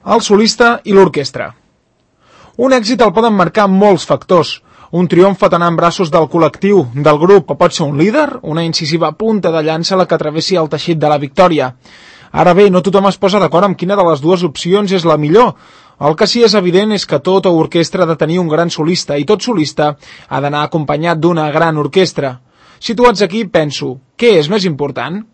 el solista i l'orquestra. Un èxit el poden marcar molts factors. Un triomf pot anar en braços del col·lectiu, del grup, o pot ser un líder, una incisiva punta de llança la que travessi el teixit de la victòria. Ara bé, no tothom es posa d'acord amb quina de les dues opcions és la millor. El que sí és evident és que tota orquestra ha de tenir un gran solista i tot solista ha d'anar acompanyat d'una gran orquestra. Situats aquí, penso, què és més important?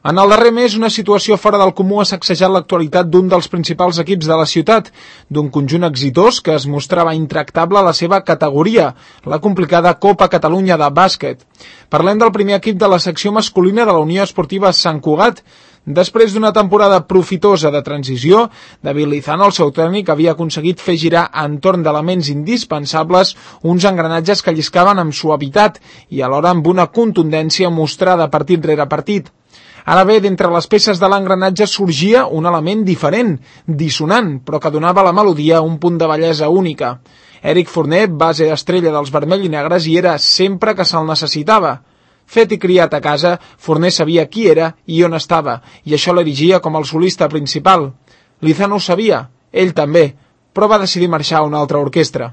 En el darrer mes, una situació fora del comú ha sacsejat l'actualitat d'un dels principals equips de la ciutat, d'un conjunt exitós que es mostrava intractable a la seva categoria, la complicada Copa Catalunya de bàsquet. Parlem del primer equip de la secció masculina de la Unió Esportiva Sant Cugat. Després d'una temporada profitosa de transició, David Lizano, el seu tècnic, havia aconseguit fer girar entorn d'elements indispensables uns engranatges que lliscaven amb suavitat i alhora amb una contundència mostrada partit rere partit. Ara bé, d'entre les peces de l'engranatge sorgia un element diferent, dissonant, però que donava a la melodia un punt de bellesa única. Eric Fournier, base estrella dels vermell i negres, hi era sempre que se'l necessitava. Fet i criat a casa, Fournier sabia qui era i on estava, i això l'erigia com el solista principal. Lizano ho sabia, ell també, però va decidir marxar a una altra orquestra.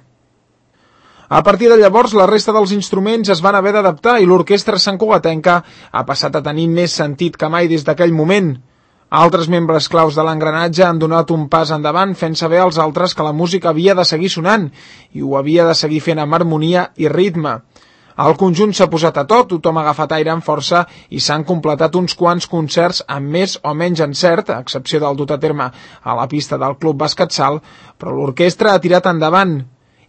A partir de llavors, la resta dels instruments es van haver d'adaptar i l'orquestra santcugatenca ha passat a tenir més sentit que mai des d'aquell moment. Altres membres claus de l'engranatge han donat un pas endavant fent saber als altres que la música havia de seguir sonant i ho havia de seguir fent amb harmonia i ritme. El conjunt s'ha posat a to, tothom ha agafat aire amb força i s'han completat uns quants concerts amb més o menys encert, a excepció del dut a terme a la pista del Club Bàsquet Salt, però l'orquestra ha tirat endavant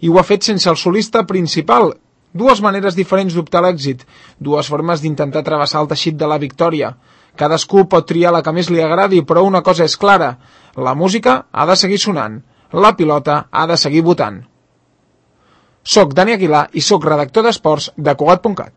i ho ha fet sense el solista principal. Dues maneres diferents d'optar a l'èxit, dues formes d'intentar travessar el teixit de la victòria. Cadascú pot triar la que més li agradi, però una cosa és clara, la música ha de seguir sonant, la pilota ha de seguir votant. Soc Dani Aguilar i soc redactor d'esports de Cugat.cat.